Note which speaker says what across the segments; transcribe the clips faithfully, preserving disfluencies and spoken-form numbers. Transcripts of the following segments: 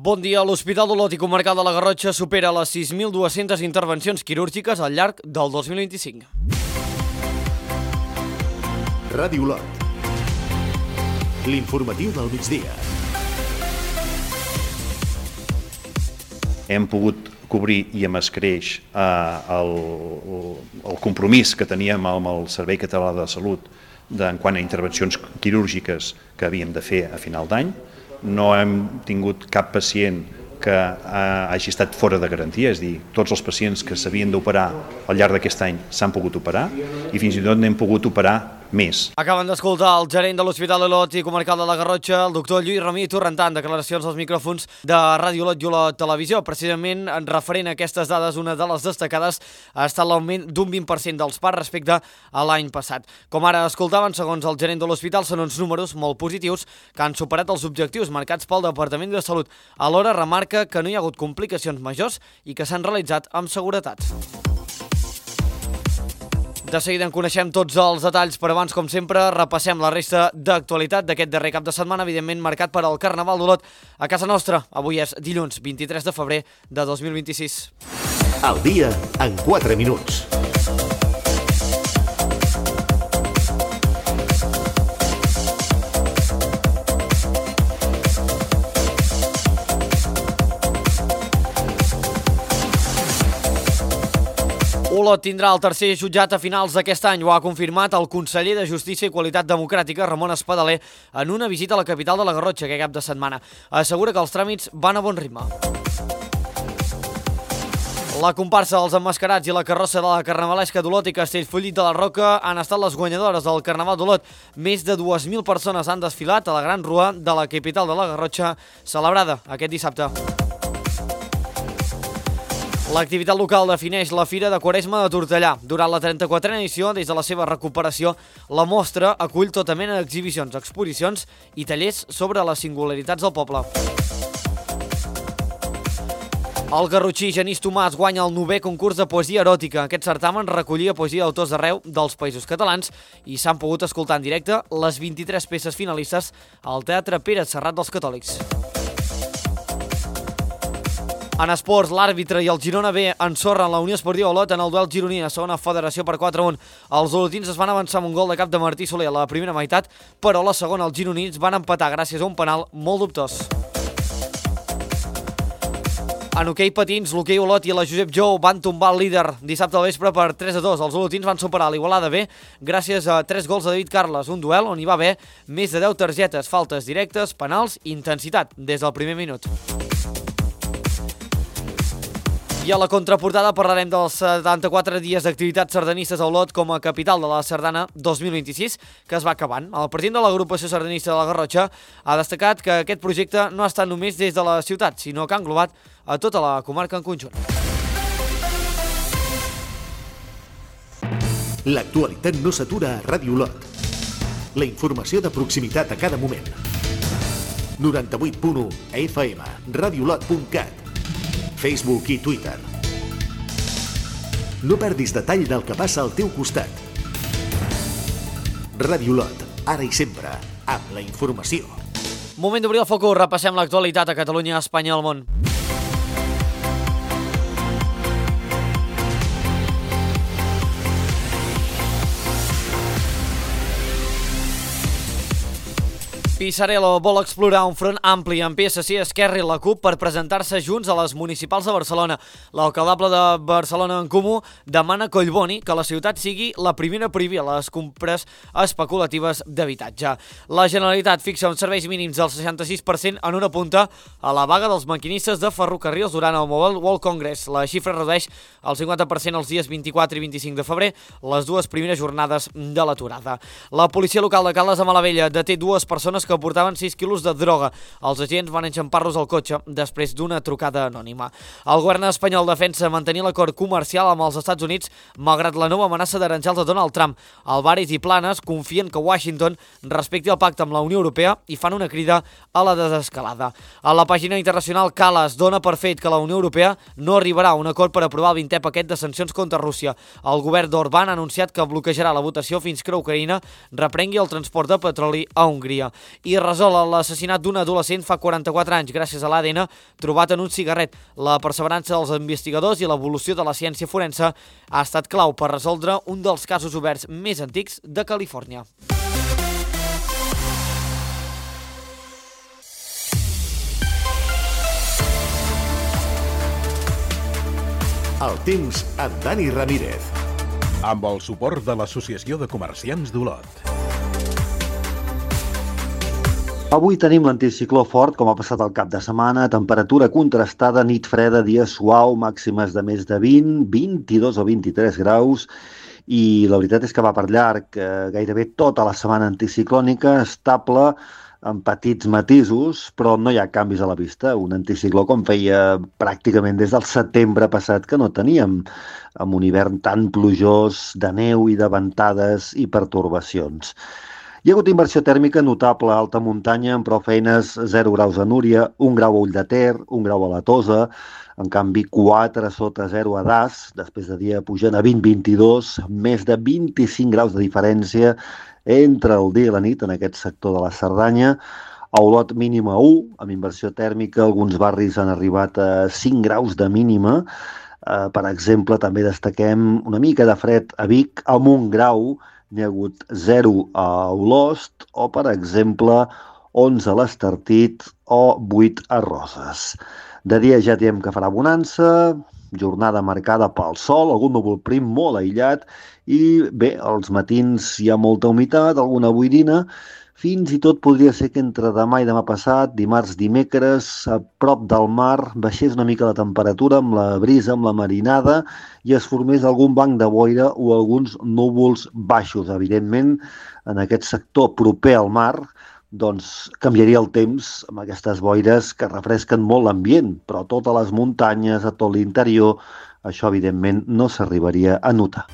Speaker 1: Bon dia. L'Hospital d'Olot i Comarcal de la Garrotxa supera les sis mil dues-centes intervencions quirúrgiques al llarg del dos mil vint-i-cinc.
Speaker 2: Ràdio Olot. L'informatiu del migdia.
Speaker 3: Hem pogut cobrir i amb escreix eh, el, el compromís que teníem amb el Servei Català de Salut en quant a intervencions quirúrgiques que havíem de fer a final d'any. No hem tingut cap pacient que hagi estat fora de garantia, és a dir, tots els pacients que s'havien d'operar al llarg d'aquest any s'han pogut operar i fins i tot n'hem pogut operar més.
Speaker 1: Acaben d'escoltar el gerent de l'Hospital d'Olot i Comarcal de la Garrotxa, el doctor Lluís Ramí Torrentant, declaracions als micròfons de Ràdio Olot i Olot Televisió. Precisament, en referent a aquestes dades, una de les destacades ha estat l'augment d'un vint per cent dels parts respecte a l'any passat. Com ara escoltaven, segons el gerent de l'hospital, són uns números molt positius que han superat els objectius marcats pel Departament de Salut. Alhora, remarca que no hi ha hagut complicacions majors i que s'han realitzat amb seguretat. De seguida en coneixem tots els detalls, però abans, com sempre, repassem la resta d'actualitat d'aquest darrer cap de setmana, evidentment marcat per al Carnaval d'Olot a casa nostra. Avui és dilluns vint-i-tres de febrer de dos mil vint-i-sis.
Speaker 2: Al dia en quatre minuts.
Speaker 1: Olot tindrà el tercer jutjat a finals d'aquest any. Ho ha confirmat el conseller de Justícia i Qualitat Democràtica, Ramon Espadaler, en una visita a la capital de la Garrotxa aquest cap de setmana. Assegura que els tràmits van a bon ritme. La comparsa dels emmascarats i la carrossa de la Carnavalesca d'Olot i Castellfollit de la Roca han estat les guanyadores del Carnaval d'Olot. Més de dues mil persones han desfilat a la Gran Rua de la capital de la Garrotxa, celebrada aquest dissabte. L'activitat local defineix la Fira de Quaresma de Tortellà. Durant la trenta-quatrena edició, des de la seva recuperació, la mostra acull tota mena d'exhibicions, exposicions i tallers sobre les singularitats del poble. El garrotxí Genís Tomàs guanya el novè concurs de poesia eròtica. Aquest certamen recollia poesia d'autors d'arreu dels Països Catalans i s'han pogut escoltar en directe les vint-i-tres peces finalistes al Teatre Pere Serrat dels Catòlics. En esports, l'àrbitre i el Girona B ensorren la Unió Esportiva Olot en el duel gironí a segona federació per quatre a un. Els olotins es van avançar amb un gol de cap de Martí Soler a la primera meitat, però a la segona els gironins van empatar gràcies a un penal molt dubtós. En hoquei patins, l'hoquei Olot i la Josep Jou van tombar el líder dissabte al vespre per tres a dos. Els olotins van superar l'Igualada B gràcies a tres gols de David Carles, un duel on hi va haver més de deu targetes, faltes directes, penals i intensitat des del primer minut. I a la contraportada parlarem dels setanta-quatre dies d'activitats sardanistes a Olot com a capital de la Sardana dos mil vint-i-sis, que es va acabant. El president de l'agrupació sardanista de la Garrotxa ha destacat que aquest projecte no ha estat només des de la ciutat, sinó que ha englobat a tota la comarca en conjunt.
Speaker 2: L'actualitat no s'atura a Ràdio Olot. La informació de proximitat a cada moment. noranta-vuit punt u F M, radiolot punt cat. Facebook i Twitter. No perdis detall del que passa al teu costat. Ràdio Olot, ara i sempre, amb la informació.
Speaker 1: Moment d'obrir el focus, repassem l'actualitat a Catalunya, Espanya i el món. Pisarello vol explorar un front ampli amb P S C, Esquerra i la CUP per presentar-se junts a les municipals de Barcelona. L'alcaldable de Barcelona en Comú demana a Collboni que la ciutat sigui la primera a prohibir les compres especulatives d'habitatge. La Generalitat fixa uns serveis mínims del seixanta-sis per cent en una punta a la vaga dels maquinistes de ferrocarrils durant el Mobile World Congress. La xifra redueix el cinquanta per cent els dies vint-i-quatre i vint-i-cinc de febrer, les dues primeres jornades de l'aturada. La policia local de Caldes de Malavella deté dues persones que portaven sis quilos de droga. Els agents van enxampar-los al cotxe després d'una trucada anònima. El govern espanyol defensa mantenir l'acord comercial amb els Estats Units malgrat la nova amenaça d'aranjals de Donald Trump. Alvarez i Planes confien que Washington respecti el pacte amb la Unió Europea i fan una crida a la desescalada. A la pàgina internacional, Calas dona per fet que la Unió Europea no arribarà a un acord per aprovar el vintè paquet de sancions contra Rússia. El govern d'Orbán ha anunciat que bloquejarà la votació fins que Ucraïna reprengui el transport de petroli a Hongria. i resol l'assassinat d'un adolescent fa quaranta-quatre anys gràcies a l'A D N trobat en un cigarret. La perseverança dels investigadors i l'evolució de la ciència forense ha estat clau per resoldre un dels casos oberts més antics de Califòrnia.
Speaker 2: El temps amb Dani Ramírez.
Speaker 4: Amb el suport de l'Associació de Comerciants d'Olot.
Speaker 5: Avui tenim l'anticicló fort, com ha passat el cap de setmana, temperatura contrastada, nit freda, dia suau, màximes de més de vint, vint-i-dos o vint-i-tres graus, i la veritat és que va per llarg, eh, gairebé tota la setmana anticiclònica, estable, amb petits matisos, però no hi ha canvis a la vista. Un anticicló com feia pràcticament des del setembre passat que no teníem, amb un hivern tan plujós, de neu i de ventades i pertorbacions. Hi ha hagut inversió tèrmica notable a alta muntanya, amb prou feines zero graus a Núria, un grau a Ull de Ter, un grau a la Tosa, en canvi quatre sota zero a Das, després de dia pujant a vint a vint-i-dos, més de vint-i-cinc graus de diferència entre el dia i la nit en aquest sector de la Cerdanya. A Olot mínima u, amb inversió tèrmica, alguns barris han arribat a cinc graus de mínima. Eh, per exemple, també destaquem una mica de fred a Vic, amb un grau, n'hi ha hagut zero a Olost, o per exemple, onze a l'Estartit o vuit a Roses. De dia ja diem que farà bonança, jornada marcada pel sol, algun núvol prim molt aïllat, i bé, als matins hi ha molta humitat, alguna boirina, fins i tot podria ser que entre demà i demà passat, dimarts, dimecres, a prop del mar, baixés una mica la temperatura amb la brisa, amb la marinada, i es formés algun banc de boira o alguns núvols baixos. Evidentment, en aquest sector proper al mar, doncs canviaria el temps amb aquestes boires que refresquen molt l'ambient, però a totes les muntanyes, a tot l'interior, això evidentment no s'arribaria a notar.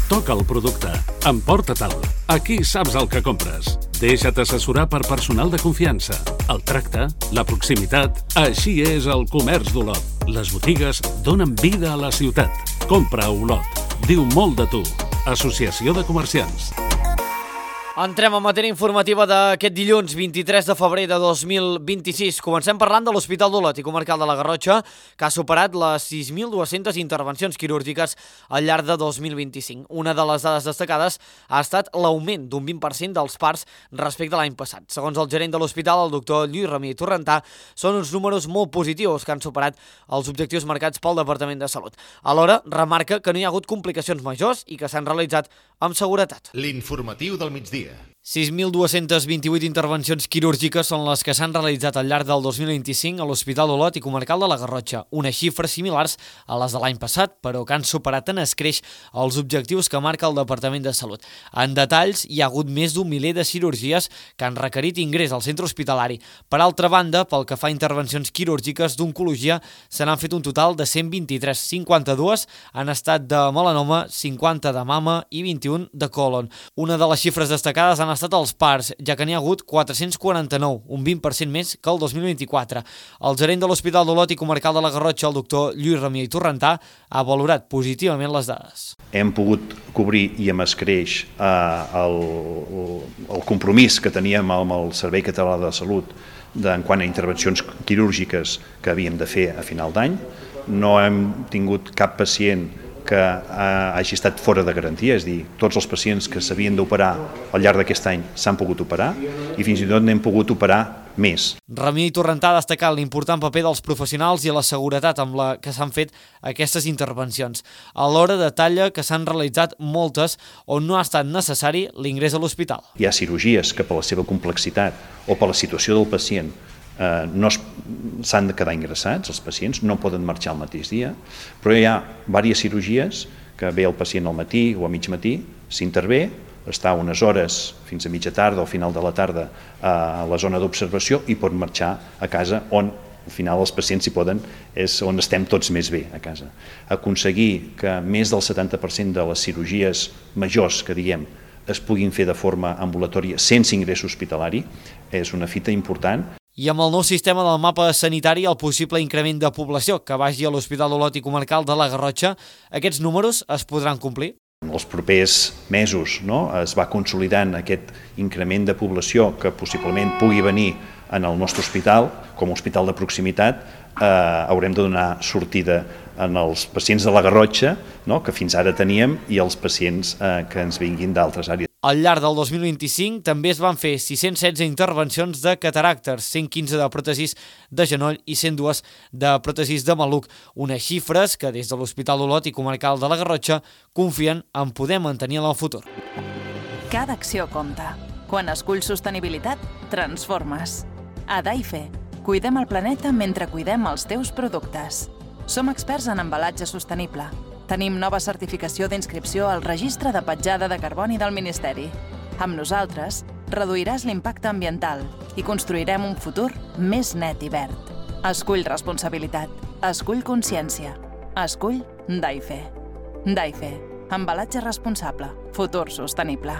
Speaker 6: Toca el producte. Emporta-te'l. Aquí saps el que compres. Deixa't assessorar per personal de confiança. El tracte, la proximitat, així és el comerç d'Olot. Les botigues donen vida a la ciutat. Compra a Olot. Diu molt de tu. Associació de Comerciants.
Speaker 1: Entrem en matèria informativa d'aquest dilluns vint-i-tres de febrer de dos mil vint-i-sis. Comencem parlant de l'Hospital d'Olot i Comarcal de la Garrotxa, que ha superat les sis mil dues-centes intervencions quirúrgiques al llarg de dos mil vint-i-cinc. Una de les dades destacades ha estat l'augment d'un vint per cent dels parts respecte a l'any passat. Segons el gerent de l'hospital, el doctor Lluís Ramí Torrentà, són uns números molt positius que han superat els objectius marcats pel Departament de Salut. Alhora, remarca que no hi ha hagut complicacions majors i que s'han realitzat amb seguretat.
Speaker 2: L'informatiu del migdia.
Speaker 1: sis mil dues-centes vint-i-vuit intervencions quirúrgiques són les que s'han realitzat al llarg del dos mil vint-i-cinc a l'Hospital d'Olot i Comarcal de la Garrotxa, unes xifres similars a les de l'any passat, però que han superat en escreix els objectius que marca el Departament de Salut. En detalls, hi ha hagut més d'un miler de cirurgies que han requerit ingrés al centre hospitalari. Per altra banda, pel que fa a intervencions quirúrgiques d'oncologia, se n'han fet un total de cent vint-i-tres, cinquanta-dues han estat de melanoma, cinquanta de mama i vint-i-un de còlon. Una de les xifres destacades han estat els parts, ja que n'hi ha hagut quatre-cents quaranta-nou, un vint per cent més que el dos mil vint-i-quatre. El gerent de l'Hospital d'Olot i Comarcal de la Garrotxa, el doctor Lluís Ramí Torrentà, ha valorat positivament les dades.
Speaker 3: Hem pogut cobrir i amb escreix eh, el, el compromís que teníem amb el Servei Català de Salut en quant a intervencions quirúrgiques que havíem de fer a final d'any. No hem tingut cap pacient que hagi estat fora de garantia, és a dir, tots els pacients que s'havien d'operar al llarg d'aquest any s'han pogut operar i fins i tot n'hem pogut operar més.
Speaker 1: Ramí Torrentà ha destacat l'important paper dels professionals i la seguretat amb la que s'han fet aquestes intervencions. Alhora detalla que s'han realitzat moltes on no ha estat necessari l'ingrés a l'hospital.
Speaker 3: Hi ha cirurgies que per la seva complexitat o per la situació del pacient Eh, no s'han de quedar ingressats, els pacients no poden marxar el mateix dia, però hi ha diverses cirurgies que ve el pacient al matí o a mig matí, s'intervé, està unes hores fins a mitja tarda o final de la tarda a la zona d'observació i pot marxar a casa on al final els pacients hi poden, és on estem tots més bé a casa. Aconseguir que més del setanta per cent de les cirurgies majors que diguem es puguin fer de forma ambulatòria sense ingrés hospitalari és una fita important.
Speaker 1: I amb el nou sistema del mapa sanitari, el possible increment de població que vagi a l'Hospital d'Olot i Comarcal de la Garrotxa, aquests números es podran complir?
Speaker 3: En els propers mesos, no, es va consolidant aquest increment de població que possiblement pugui venir en el nostre hospital, com a hospital de proximitat, eh, haurem de donar sortida en els pacients de la Garrotxa, no, que fins ara teníem, i els pacients eh, que ens vinguin d'altres àrees.
Speaker 1: Al llarg del dos mil vint-i-cinc també es van fer sis-cents setze intervencions de cataractes, cent quinze de pròtesis de genoll i cent dos de pròtesis de maluc, unes xifres que des de l'Hospital d'Olot i Comarcal de la Garrotxa confien en poder mantenir en el futur.
Speaker 7: Cada acció compta. Quan esculls sostenibilitat, transformes. A Daife, cuidem el planeta mentre cuidem els teus productes. Som experts en embalatge sostenible. Tenim nova certificació d'inscripció al Registre de Petjada de Carboni del Ministeri. Amb nosaltres, reduiràs l'impacte ambiental i construirem un futur més net i verd. Escull responsabilitat. Escull consciència. Escull Daife. Daife. Embalatge responsable. Futur sostenible.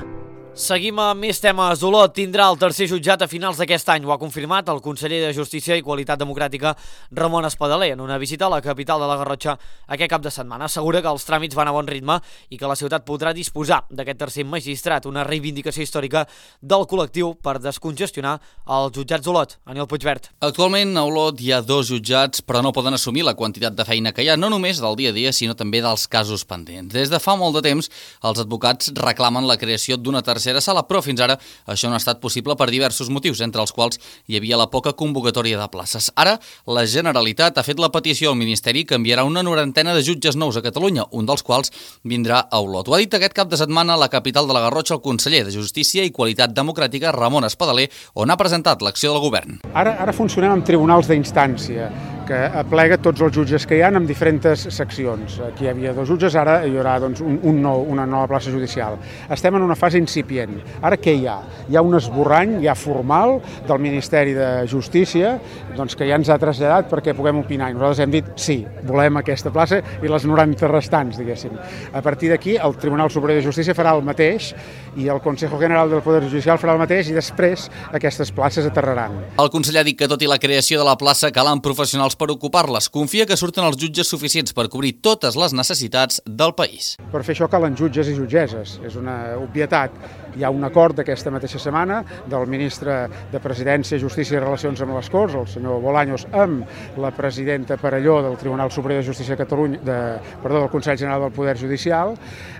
Speaker 1: Seguim amb més temes. Olot tindrà el tercer jutjat a finals d'aquest any. Ho ha confirmat el conseller de Justícia i Qualitat Democràtica, Ramon Espadaler, en una visita a la capital de la Garrotxa aquest cap de setmana. Assegura que els tràmits van a bon ritme i que la ciutat podrà disposar d'aquest tercer magistrat, una reivindicació històrica del col·lectiu per descongestionar els jutjats d'Olot. Aniol Puigvert.
Speaker 8: Actualment a Olot hi ha dos jutjats, però no poden assumir la quantitat de feina que hi ha, no només del dia a dia, sinó també dels casos pendents. Des de fa molt de temps, els advocats reclamen la creació d'una tercera sala, però fins ara això no ha estat possible per diversos motius, entre els quals hi havia la poca convocatòria de places. Ara, la Generalitat ha fet la petició al Ministeri que enviarà una norantena de jutges nous a Catalunya, un dels quals vindrà a Olot. Ho ha dit aquest cap de setmana a la capital de la Garrotxa el conseller de Justícia i Qualitat Democràtica, Ramon Espadaler, on ha presentat l'acció del govern.
Speaker 9: Ara, ara funcionem amb tribunals d'instància, que aplega tots els jutges que hi ha en diferents seccions. Aquí hi havia dos jutges, ara hi haurà doncs, un, un nou, una nova plaça judicial. Estem en una fase incipient. Ara què hi ha? Hi ha un esborrany ja formal del Ministeri de Justícia doncs, que ja ens ha traslladat perquè puguem opinar. I nosaltres hem dit sí, volem aquesta plaça i les noranta restants, diguéssim. A partir d'aquí, el Tribunal Superior de Justícia farà el mateix i el Consejo General del Poder Judicial farà el mateix i després aquestes places aterraran.
Speaker 8: El conseller ha dit que tot i la creació de la plaça calen professionals per ocupar-les. Confia que surten els jutges suficients per cobrir totes les necessitats del país.
Speaker 9: Per fer això calen jutges i jutgesses. És una obvietat. Hi ha un acord d'aquesta mateixa setmana del ministre de Presidència, Justícia i Relacions amb les Corts, el senyor Bolaños, amb la presidenta Perelló del Tribunal Superior de Justícia de Catalunya, de, perdó, del Consell General del Poder Judicial,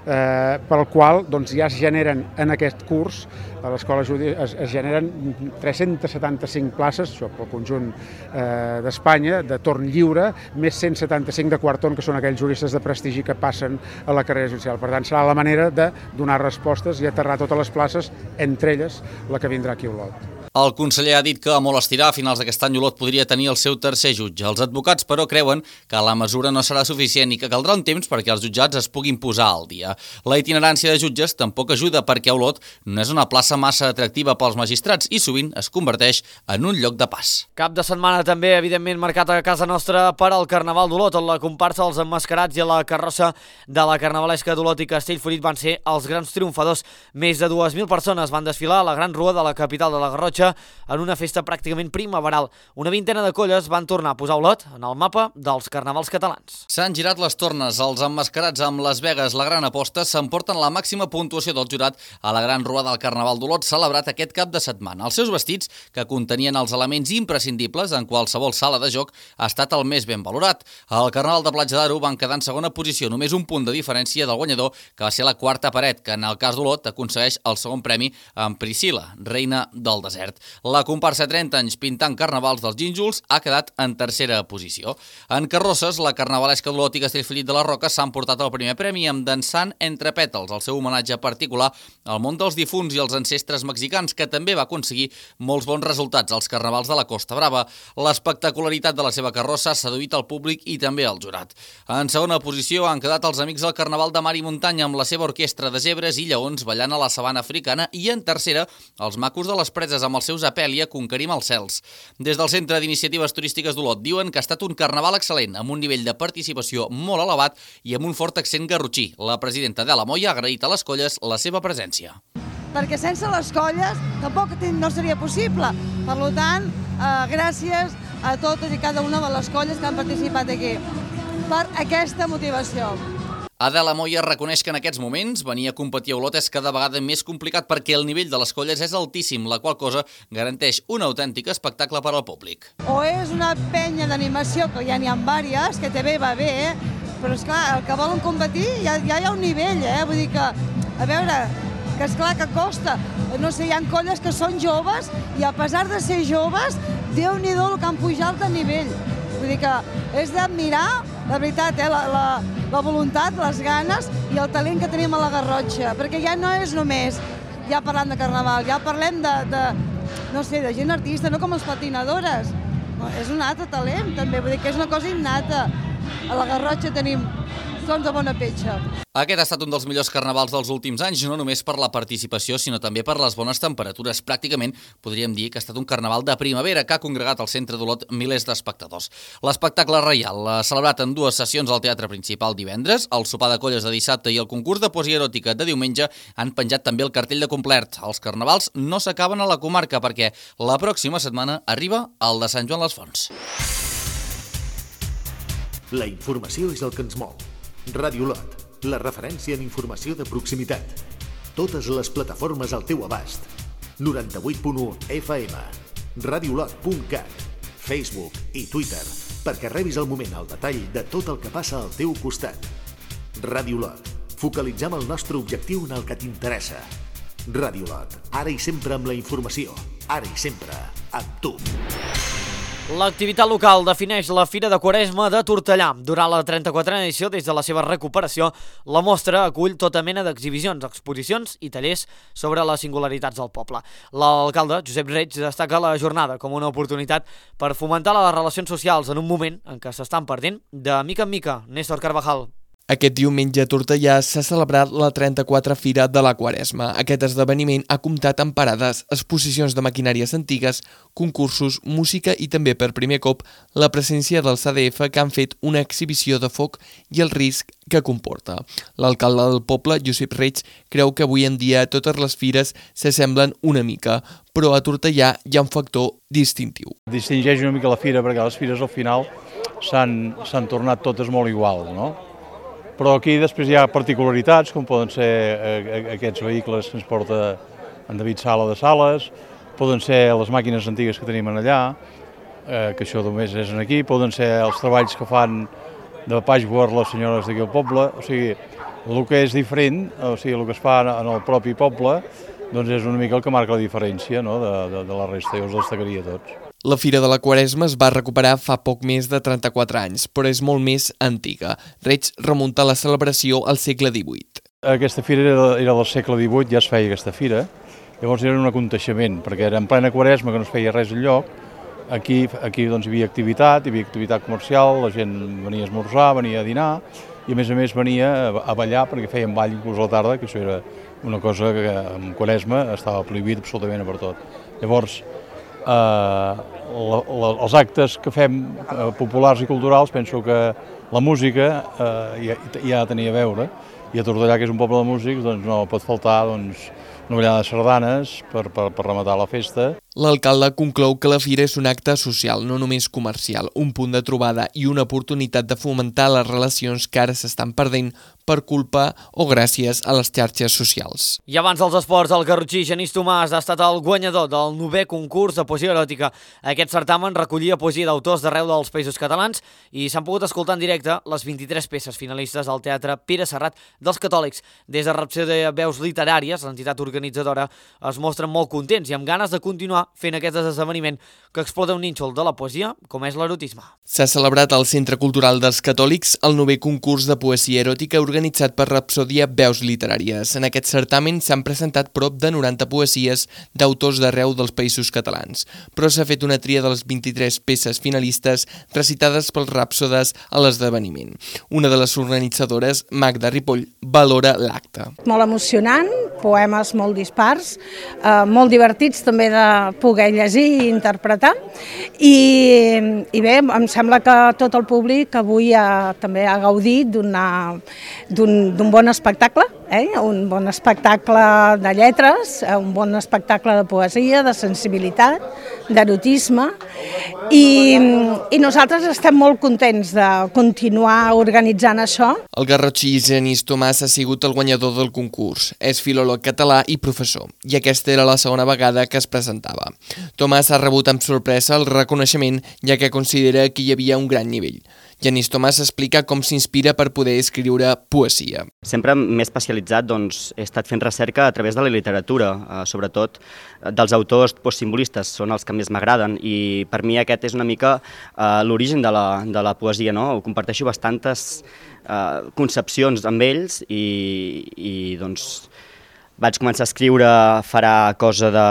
Speaker 9: eh, pel qual doncs, ja es generen en aquest curs a l'escola es, es generen tres-centes setanta-cinc places, això pel conjunt eh, d'Espanya, de torn lliure, més cent setanta-cinc de quart torn, que són aquells juristes de prestigi que passen a la carrera judicial. Per tant, serà la manera de donar respostes i aterrar totes les places, entre elles la que vindrà aquí a Olot.
Speaker 8: El conseller ha dit que a molt estirar, a finals d'aquest any Olot podria tenir el seu tercer jutge. Els advocats, però, creuen que la mesura no serà suficient i que caldrà un temps perquè els jutjats es puguin posar al dia. La itinerància de jutges tampoc ajuda perquè Olot no és una plaça massa atractiva pels magistrats i sovint es converteix en un lloc de pas.
Speaker 1: Cap de setmana també, evidentment, marcat a casa nostra per al Carnaval d'Olot. La comparsa, els emmascarats i la carrossa de la Carnavalesca d'Olot i Castellfollit van ser els grans triomfadors. Més de dues mil persones van desfilar a la Gran Rua de la capital de la Garrotxa en una festa pràcticament primaveral. Una vintena de colles van tornar a posar Olot en el mapa dels carnavals catalans.
Speaker 8: S'han girat les tornes. Els emmascarats amb Las Vegas, la gran aposta, s'emporten la màxima puntuació del jurat a la Gran Rua del Carnaval d'Olot celebrat aquest cap de setmana. Els seus vestits, que contenien els elements imprescindibles en qualsevol sala de joc, ha estat el més ben valorat. El Carnaval de Platja d'Aro van quedar en segona posició, només un punt de diferència del guanyador, que va ser la quarta paret, que en el cas d'Olot aconsegueix el segon premi amb Priscila, reina del desert. La comparsa trenta anys pintant carnavals dels Gínjols ha quedat en tercera posició. En carrosses, la Carnavalesca d'Olot i Castellfollit de la Roca s'han portat el primer premi amb Dansant entre pètals, el seu homenatge particular al món dels difunts i els ancestres mexicans, que també va aconseguir molts bons resultats als carnavals de la Costa Brava. L'espectacularitat de la seva carrossa ha seduït el públic i també el jurat. En segona posició han quedat els amics del Carnaval de Mar i Muntanya amb la seva orquestra de zebres i lleons ballant a la sabana africana, i en tercera, els macos de les preses amb els seus Apèlia conquerim els cels. Des del Centre d'Iniciatives Turístiques d'Olot diuen que ha estat un carnaval excel·lent, amb un nivell de participació molt elevat i amb un fort accent garrotxí. La presidenta de la Moia ha agraït a les colles la seva presència.
Speaker 10: Perquè sense les colles tampoc no seria possible. Per tant, eh, gràcies a totes i cada una de les colles que han participat aquí per aquesta motivació.
Speaker 8: Adela Moya reconeix que en aquests moments venir a competir a Olot és cada vegada més complicat perquè el nivell de les colles és altíssim, la qual cosa garanteix un autèntic espectacle per al públic.
Speaker 10: O és una penya d'animació, que ja n'hi ha diverses, que també va bé, eh? Però esclar, el que volen competir ja, ja hi ha un nivell, eh? Vull dir que, a veure, que esclar que costa. No sé, hi ha colles que són joves i a pesar de ser joves, Déu-n'hi-do el que han pujat de nivell. Vull dir que és d'admirar, la veritat, eh, la, la, la voluntat, les ganes i el talent que tenim a la Garrotxa, perquè ja no és només ja parlant de carnaval, ja parlem de, de no sé, de gent artista, no com les patinadores. No, és un altre talent, també, vull dir que és una cosa innata. A la Garrotxa tenim sons de bona petxa.
Speaker 8: Aquest ha estat un dels millors carnavals dels últims anys, no només per la participació, sinó també per les bones temperatures. Pràcticament podríem dir que ha estat un carnaval de primavera que ha congregat al centre d'Olot milers d'espectadors. L'espectacle reial l'ha celebrat en dues sessions al Teatre Principal divendres, el sopar de colles de dissabte i el concurs de poesia eròtica de diumenge han penjat també el cartell de complet. Els carnavals no s'acaben a la comarca perquè la pròxima setmana arriba el de Sant Joan les Fonts.
Speaker 2: La informació és el que ens mou. Ràdio Olot, la referència en informació de proximitat. Totes les plataformes al teu abast. noranta-vuit punt u F M, radiolot punt cat, Facebook i Twitter, perquè rebis al moment el detall de tot el que passa al teu costat. Ràdio Olot, focalitzem el nostre objectiu en el que t'interessa. Ràdio Olot, ara i sempre amb la informació, ara i sempre amb tu.
Speaker 1: L'activitat local defineix la Fira de Quaresma de Tortellà. Durant la trenta-quatrena edició, des de la seva recuperació, la mostra acull tota mena d'exhibicions, exposicions i tallers sobre les singularitats del poble. L'alcalde, Josep Reig, destaca la jornada com una oportunitat per fomentar les relacions socials en un moment en què s'estan perdent de mica en mica. Néstor Carvajal.
Speaker 11: Aquest diumenge a Tortellà s'ha celebrat la trenta-quatrena Fira de la Quaresma. Aquest esdeveniment ha comptat amb parades, exposicions de maquinàries antigues, concursos, música i també per primer cop la presència del C D F que han fet una exhibició de foc i el risc que comporta. L'alcalde del poble, Josep Reig, creu que avui en dia totes les fires s'assemblen una mica, però a Tortellà hi ha un factor distintiu.
Speaker 12: Distingeix una mica la fira perquè les fires al final s'han tornat totes molt igual, no? Però aquí després hi ha particularitats, com poden ser eh, aquests vehicles que ens porta en David Sala de Sales, poden ser les màquines antigues que tenim allà, eh, que això només és aquí, poden ser els treballs que fan de patchwork les senyores d'aquí al poble, o sigui, el que és diferent, o sigui, el que es fa en el propi poble, doncs és una mica el que marca la diferència, no?, de, de, de la resta, jo els destacaria tots.
Speaker 11: La Fira de la Quaresma es va recuperar fa poc més de trenta-quatre anys, però és molt més antiga. Reig remunta la celebració al segle divuit.
Speaker 12: Aquesta fira era, era del segle divuit, ja es feia aquesta fira, llavors era un aconteixement, perquè era en plena Quaresma que no es feia res enlloc. Aquí, aquí doncs, hi havia activitat, hi havia activitat comercial, la gent venia a esmorzar, venia a dinar, i a més a més venia a ballar perquè feien ball inclús a la tarda, que això era una cosa que en Quaresma estava prohibit absolutament per tot. Llavors, eh, la, la, els actes que fem eh, populars i culturals, penso que la música eh, ja, ja tenia a veure, i a Tortellà, que és un poble de músics, doncs no pot faltar doncs, una ballada de sardanes per, per, per rematar la festa.
Speaker 11: L'alcalde conclou que la fira és un acte social, no només comercial, un punt de trobada i una oportunitat de fomentar les relacions que ara s'estan perdent per culpa o gràcies a les xarxes socials.
Speaker 1: I abans dels esports, el garrotxí Genís Tomàs ha estat el guanyador del novè concurs de poesia eròtica. Aquest certamen recollia poesia d'autors d'arreu dels Països Catalans i s'han pogut escoltar en directe les vint-i-tres peces finalistes al Teatre Pere Serrat dels Catòlics. Des de Rapció de Veus Literàries, l'entitat organitzadora, es mostren molt contents i amb ganes de continuar fent aquest esdeveniment que explota un nínxol de la poesia, com és l'erotisme.
Speaker 11: S'ha celebrat al Centre Cultural dels Catòlics el novè concurs de poesia eròtica organitzat per Rapsòdia Veus Literàries. En aquest certamen s'han presentat prop de noranta poesies d'autors d'arreu dels Països Catalans, però s'ha fet una tria de les vint-i-tres peces finalistes recitades pels ràpsodes a l'esdeveniment. Una de les organitzadores, Magda Ripoll, valora l'acte.
Speaker 13: Molt emocionant, poemes molt dispars, eh, molt divertits també de poder llegir i interpretar, i, i bé, em sembla que tot el públic avui ha, també ha gaudit d'un bon espectacle eh? un bon espectacle de lletres, un bon espectacle de poesia, de sensibilitat, d'erotisme, i, i nosaltres estem molt contents de continuar organitzant això.
Speaker 11: El garrotxí Genís Tomàs ha sigut el guanyador del concurs. És filòleg català i professor, i aquesta era la segona vegada que es presentava. Tomàs ha rebut amb sorpresa el reconeixement, ja que considera que hi havia un gran nivell. Genís Tomàs explica com s'inspira per poder escriure poesia.
Speaker 14: Sempre m'he especialitzat, doncs, he estat fent recerca a través de la literatura, eh, sobretot dels autors postsimbolistes, són els que més m'agraden, i per mi aquest és una mica eh, l'origen de, la, de la poesia, no? Ho comparteixo bastantes eh, concepcions amb ells i, i doncs, vaig començar a escriure farà cosa de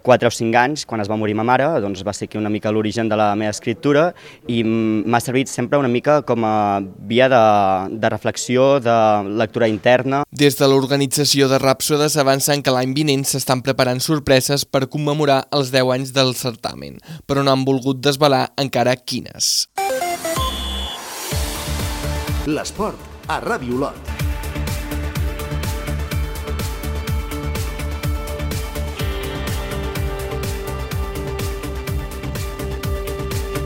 Speaker 14: quatre o cinc anys, quan es va morir ma mare, doncs va ser aquí una mica l'origen de la meva escriptura i m'ha servit sempre una mica com a via de, de reflexió, de lectura interna.
Speaker 11: Des de l'organització de Rhapsodes avancen que l'any vinent s'estan preparant sorpreses per commemorar els deu anys del certamen, però no han volgut desvelar encara quines.
Speaker 2: L'esport a Ràdio Olot.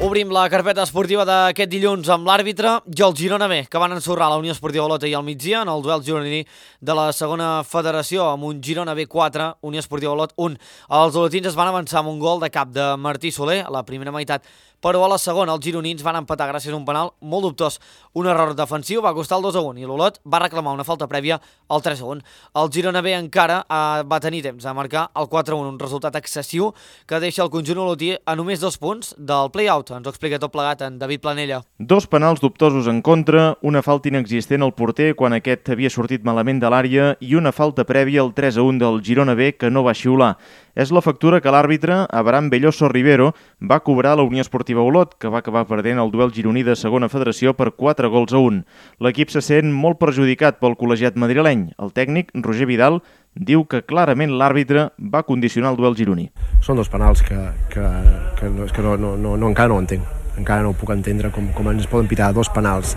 Speaker 1: Obrim la carpeta esportiva d'aquest dilluns amb l'àrbitre i el Girona B, que van ensorrar la Unió Esportiva Olot ahir al migdia en el duel gironí de la segona federació amb un Girona B quatre, Unió Esportiva Olot un. Els olotins es van avançar amb un gol de cap de Martí Soler a la primera meitat, però a la segona els gironins van empatar gràcies a un penal molt dubtós. Un error defensiu va costar el dos a un i l'Olot va reclamar una falta prèvia al tres a un. El Girona B encara eh, va tenir temps a marcar el quatre a un, un resultat excessiu que deixa el conjunt olotí a només dos punts del play-out. Ens ho explica tot plegat en David Planella.
Speaker 15: Dos penals dubtosos en contra, una falta inexistent al porter quan aquest havia sortit malament de l'àrea i una falta prèvia al tres a un del Girona B que no va xiular. És la factura que l'àrbitre, Abraham Belloso Rivero, va cobrar a la Unió Esportiva Olot, que va acabar perdent el duel gironí de segona federació per quatre gols a un. L'equip se sent molt perjudicat pel col·legiat madrileny. El tècnic, Roger Vidal, diu que clarament l'àrbitre va condicionar el duel gironí.
Speaker 16: Són dos penals que, que, que, no, que no, no, no, encara no ho entenc. Encara no ho puc entendre com, com ens poden pitar dos penals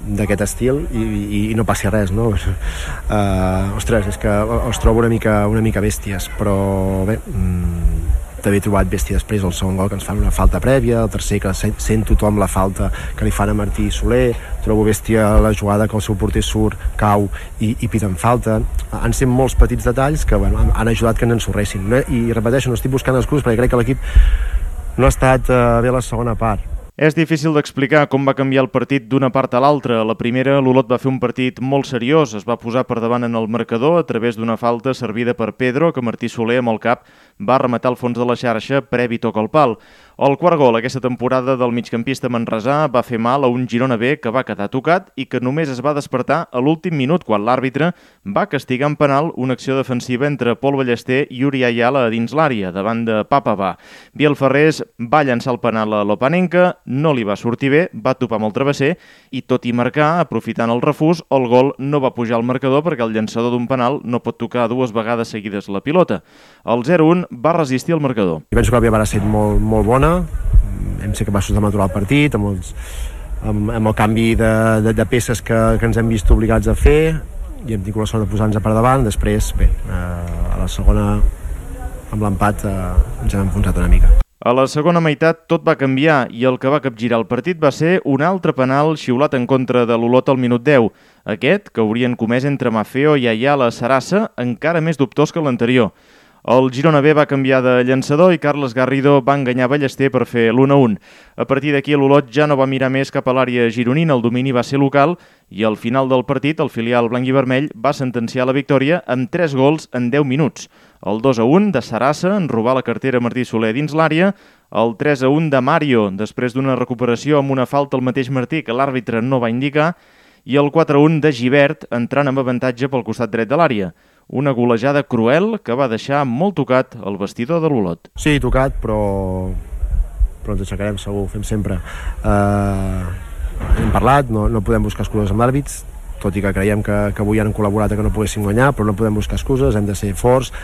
Speaker 16: d'aquest estil i, i, i no passi res, no? Uh, ostres, és que els trobo una mica, una mica bèsties, però bé, mmm, també he trobat bèstia després el segon gol que ens fan una falta prèvia, el tercer que sent tothom la falta que li fan a Martí Soler, trobo bèstia la jugada que el seu porter surt, cau i, i piten falta. Han sent molts petits detalls que bueno, han ajudat que ens ensorressin, no? I repeteixo, no estic buscant excuses perquè crec que l'equip no ha estat uh, bé a la segona part.
Speaker 15: És difícil d'explicar com va canviar el partit d'una part a l'altra. A la primera, l'Olot va fer un partit molt seriós, es va posar per davant en el marcador a través d'una falta servida per Pedro, que Martí Soler amb el cap va rematar al fons de la xarxa previ toc al pal. El quart gol aquesta temporada del migcampista manresà va fer mal a un Girona B que va quedar tocat i que només es va despertar a l'últim minut quan l'àrbitre va castigar en penal una acció defensiva entre Pol Ballester i Uri Ayala a dins l'àrea, davant de Papa Va. Biel Ferrés va llançar el penal a Lopanenka, no li va sortir bé, va topar amb el travesser i tot i marcar, aprofitant el refús, el gol no va pujar al marcador perquè el llançador d'un penal no pot tocar dues vegades seguides la pilota. El zero a un va resistir el marcador.
Speaker 16: Penso que la primera va ser molt, molt bona, hem ser capaços de maturar el partit amb, els, amb, amb el canvi de, de, de peces que, que ens hem vist obligats a fer i hem tingut la sort de posar-nos per davant. Després, bé, eh, a la segona amb l'empat eh, ens hem enfonsat una mica.
Speaker 15: A la segona meitat tot va canviar i el que va capgirar el partit va ser un altre penal xiulat en contra de l'Olot al minut deu. Aquest, que haurien comès entre Mafeo i Ayala Sarassa, encara més dubtós que l'anterior. El Girona B va canviar de llançador i Carles Garrido va enganyar Ballester per fer l'u a un. A partir d'aquí l'Olot ja no va mirar més cap a l'àrea gironina, el domini va ser local i al final del partit el filial blanc i vermell va sentenciar la victòria amb tres gols en deu minuts. El dos a un de Sarassa en robar la cartera Martí Soler dins l'àrea, el tres a un de Mario després d'una recuperació amb una falta al mateix Martí que l'àrbitre no va indicar i el quatre a un de Gibert entrant amb avantatge pel costat dret de l'àrea. Una golejada cruel que va deixar molt tocat el vestidor de l'Olot.
Speaker 16: Sí, tocat, però, però ens aixecarem segur, fem sempre. Uh, hem parlat, no, no podem buscar excuses amb l'àrbits, tot i que creiem que, que avui han col·laborat a que no poguéssim guanyar, però no podem buscar excuses, hem de ser forts,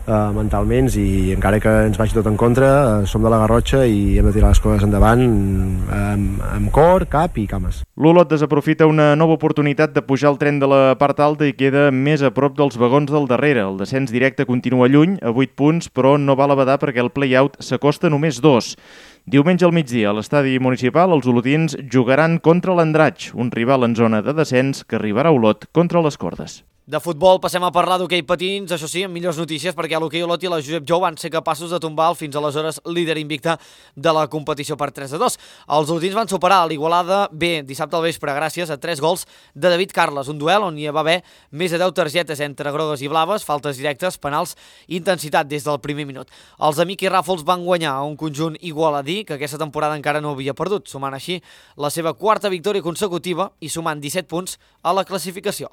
Speaker 16: eh, mentalment, i encara que ens vagi tot en contra, eh, som de la Garrotxa i hem de tirar les coses endavant amb, amb cor, cap i cames.
Speaker 15: L'Olot desaprofita una nova oportunitat de pujar al tren de la part alta i queda més a prop dels vagons del darrere. El descens directe continua lluny, a vuit punts, però no val a badar perquè el play-out s'acosta només dos. Diumenge al migdia, a l'estadi municipal, els olotins jugaran contra l'Andratx, un rival en zona de descens que arribarà a Olot contra les cordes.
Speaker 1: De futbol passem a parlar d'hoquei patins, això sí, amb millors notícies, perquè l'hoquei Olot i la Josep Jou van ser capaços de tombar el fins aleshores líder invicte de la competició per tres a dos. Els olotins van superar l'Igualada B dissabte al vespre gràcies a tres gols de David Carles, un duel on hi va haver més de deu targetes entre grogues i blaves, faltes directes, penals i intensitat des del primer minut. Els de Miqui Ràfols van guanyar a un conjunt igualadí que aquesta temporada encara no havia perdut, sumant així la seva quarta victòria consecutiva i sumant disset punts a la classificació.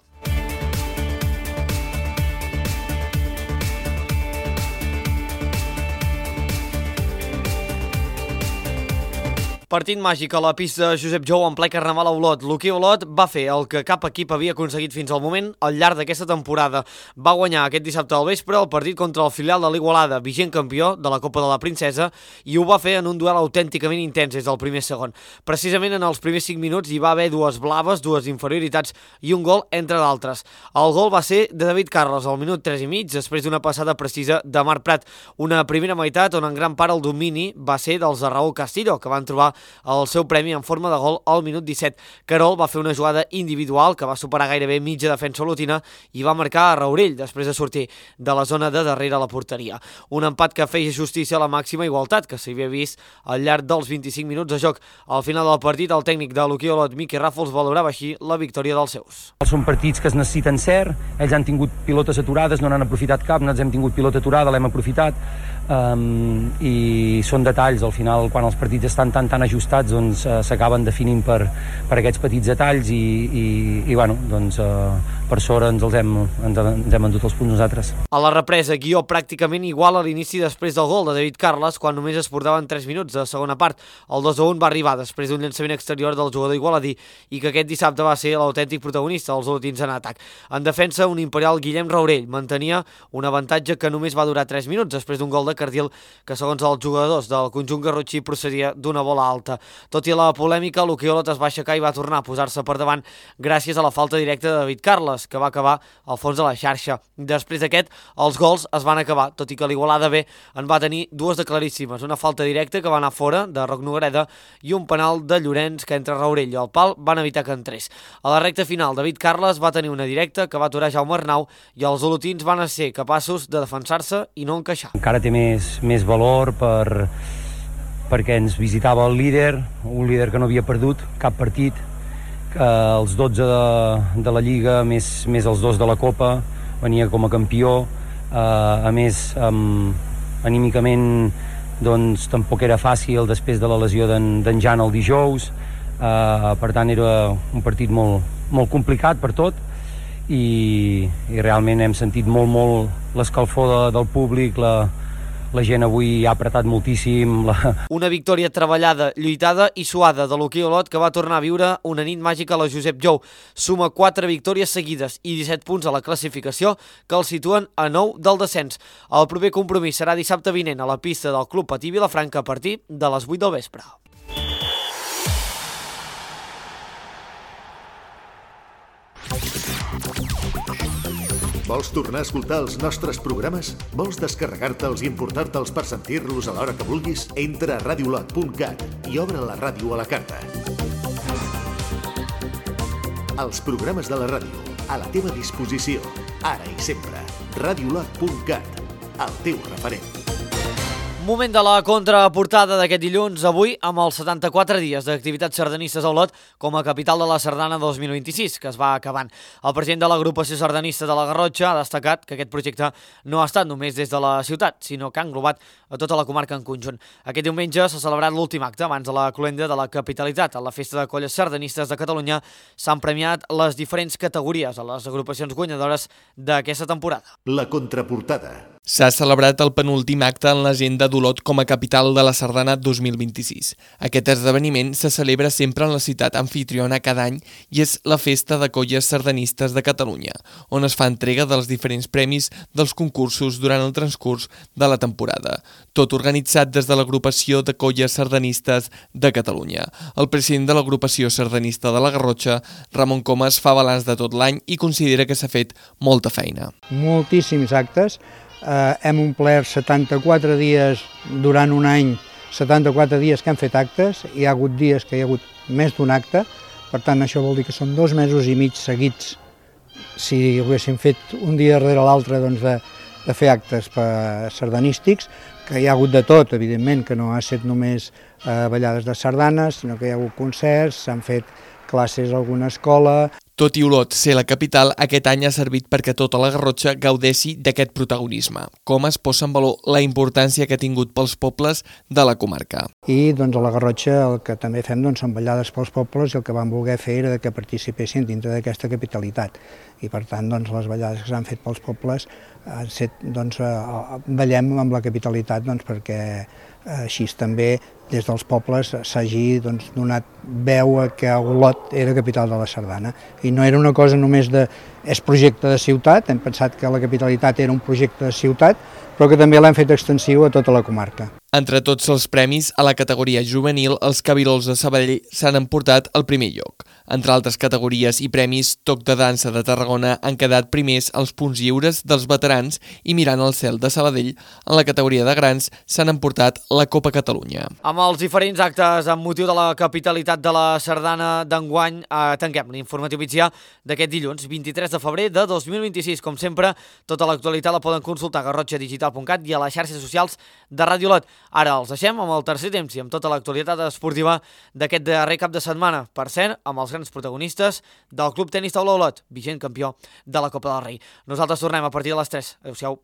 Speaker 1: Partit màgic a la pista de Josep Jou en ple carnaval a Olot. L'hoquei Olot va fer el que cap equip havia aconseguit fins al moment al llarg d'aquesta temporada. Va guanyar aquest dissabte al vespre el partit contra el filial de l'Igualada, vigent campió de la Copa de la Princesa, i ho va fer en un duel autènticament intens des del primer segon. Precisament en els primers cinc minuts hi va haver dues blaves, dues inferioritats i un gol, entre d'altres. El gol va ser de David Carles al minut tres i mig, després d'una passada precisa de Marc Prat. Una primera meitat on en gran part el domini va ser dels de Raúl Castillo, que van trobar el seu premi en forma de gol al minut disset. Carol va fer una jugada individual que va superar gairebé mitja defensa olotina i va marcar a Raurell després de sortir de la zona de darrere la porteria. Un empat que feia justícia a la màxima igualtat que s'havia vist al llarg dels vint-i-cinc minuts de joc. Al final del partit, el tècnic de l'hoquei Olot, Miqui Ràfols, valorava així la victòria dels seus.
Speaker 17: Són partits que es necessiten cert, ells han tingut pilotes aturades, no n'han aprofitat cap, nosaltres hem tingut pilota aturada, l'hem aprofitat, um, i són detalls, al final, quan els partits estan tan tan ajustats, doncs uh, s'acaben definint per, per aquests petits detalls i, i, i bueno, doncs uh, per sort ens els hem, ens, ens hem endut els punts nosaltres.
Speaker 1: A la represa, guió pràcticament igual a l'inici després del gol de David Carles, quan només es portaven tres minuts de segona part. El dos a un va arribar després d'un llançament exterior del jugador igualadí i que aquest dissabte va ser l'autèntic protagonista dels olotins en atac. En defensa, un imperial Guillem Raurell mantenia un avantatge que només va durar tres minuts després d'un gol de Cardil que, segons els jugadors del conjunt garrotxí, procedia d'una bola alta. Tot i la polèmica, l'hoquei Olot es va aixecar i va tornar a posar-se per davant gràcies a la falta directa de David Carles, que va acabar al fons de la xarxa. Després d'aquest, els gols es van acabar, tot i que l'Igualada B en va tenir dues de claríssimes, una falta directa que va anar fora de Roc Nogareda i un penal de Llorenç que entre Raurell i el pal van evitar que entrés. A la recta final, David Carles va tenir una directa que va aturar Jaume Arnau i els olotins van ser capaços de defensar-se i no encaixar.
Speaker 17: Encara té més, més valor per, perquè ens visitava el líder, un líder que no havia perdut cap partit, que els dotze de, de la Lliga més, més els dos de la Copa, venia com a campió, eh, a més um, anímicament doncs tampoc era fàcil després de la lesió d'en Jan el dijous, eh, per tant era un partit molt, molt complicat per tot i, i realment hem sentit molt molt l'escalfor de, del públic, la, la gent avui ha apretat moltíssim. La...
Speaker 1: Una victòria treballada, lluitada i suada de l'hoquei Olot que va tornar a viure una nit màgica a la Josep Jou. Suma quatre victòries seguides i disset punts a la classificació que el situen a nou del descens. El proper compromís serà dissabte vinent a la pista del Club Patí Vilafranca a partir de les vuit del vespre.
Speaker 2: Vols tornar a escoltar els nostres programes? Vols descarregar-te'ls i importar-te'ls per sentir-los a l'hora que vulguis? Entra a radiolot punt cat i obre la ràdio a la carta. Els programes de la ràdio, a la teva disposició, ara i sempre. radiolot punt cat, el teu referent.
Speaker 1: Moment de la contraportada d'aquest dilluns, avui amb els setanta-quatre dies d'activitats sardanistes a Olot com a capital de la sardana dos mil vint-i-sis, que es va acabant. El president de l'agrupació sardanista de la Garrotxa ha destacat que aquest projecte no ha estat només des de la ciutat, sinó que ha englobat a tota la comarca en conjunt. Aquest diumenge s'ha celebrat l'últim acte abans de la cloenda de la capitalitat. A la Festa de Colles Sardanistes de Catalunya s'han premiat les diferents categories a les agrupacions guanyadores d'aquesta temporada.
Speaker 2: La contraportada.
Speaker 11: S'ha celebrat el penúltim acte en l'agenda d'Olot com a capital de la Sardana dos mil vint-i-sis. Aquest esdeveniment se celebra sempre en la ciutat anfitriona cada any i és la Festa de Colles Sardanistes de Catalunya, on es fa entrega dels diferents premis dels concursos durant el transcurs de la temporada. Tot organitzat des de l'agrupació de Colles Sardanistes de Catalunya. El president de l'agrupació sardanista de la Garrotxa, Ramon Comas, fa balanç de tot l'any i considera que s'ha fet molta feina.
Speaker 18: Moltíssims actes. Eh, hem omplert setanta-quatre dies durant un any, setanta-quatre dies que hem fet actes, hi ha hagut dies que hi ha hagut més d'un acte, per tant això vol dir que són dos mesos i mig seguits, si ho haguéssim fet un dia darrere l'altre, doncs de, de fer actes sardanístics, que hi ha hagut de tot, evidentment, que no ha estat només eh, ballades de sardanes, sinó que hi ha hagut concerts, s'han fet classes a alguna escola.
Speaker 11: Tot i Olot ser la capital, aquest any ha servit perquè tota la Garrotxa gaudeixi d'aquest protagonisme. Com es posa en valor la importància que ha tingut pels pobles de la comarca.
Speaker 18: I doncs, a la Garrotxa el que també fem doncs, són ballades pels pobles i el que vam voler fer era que participessin dintre d'aquesta capitalitat. I per tant doncs, les ballades que s'han fet pels pobles han set, doncs, ballem amb la capitalitat doncs, perquè així també des dels pobles s'hagi doncs, donat veu a que Olot era capital de la sardana. I no era una cosa només de... és projecte de ciutat, hem pensat que la capitalitat era un projecte de ciutat, però que també l'hem fet extensiu a tota la comarca.
Speaker 11: Entre tots els premis, a la categoria juvenil, els Cabirols de Sabadell s'han emportat el primer lloc. Entre altres categories i premis, Toc de Dansa de Tarragona han quedat primers els punts lliures dels veterans i Mirant el cel de Sabadell, en la categoria de grans, s'han emportat la Copa Catalunya.
Speaker 1: Amb els diferents actes amb motiu de la capitalitat de la Sardana d'enguany, eh, tanquem l'informatiu migdià d'aquest dilluns, vint-i-tres de febrer de dos mil vint-i-sis. Com sempre, tota l'actualitat la poden consultar a garrotxa digital punt cat i a les xarxes socials de Ràdio Olot. Ara els deixem amb el tercer temps i amb tota l'actualitat esportiva d'aquest darrer cap de setmana. Per cert, amb els grans protagonistes del Club Tenis Taula Olot, vigent campió de la Copa del Rei. Nosaltres tornem a partir de les tres. Adéu-siau.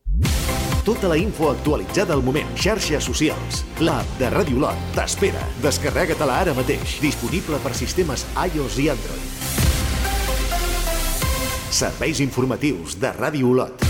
Speaker 2: Tota la info actualitzada al moment. Xarxes socials. L'app de Ràdio Olot t'espera. Descarrega-te-la ara mateix. Disponible per sistemes iOS i Android. Serveis informatius de Ràdio Olot.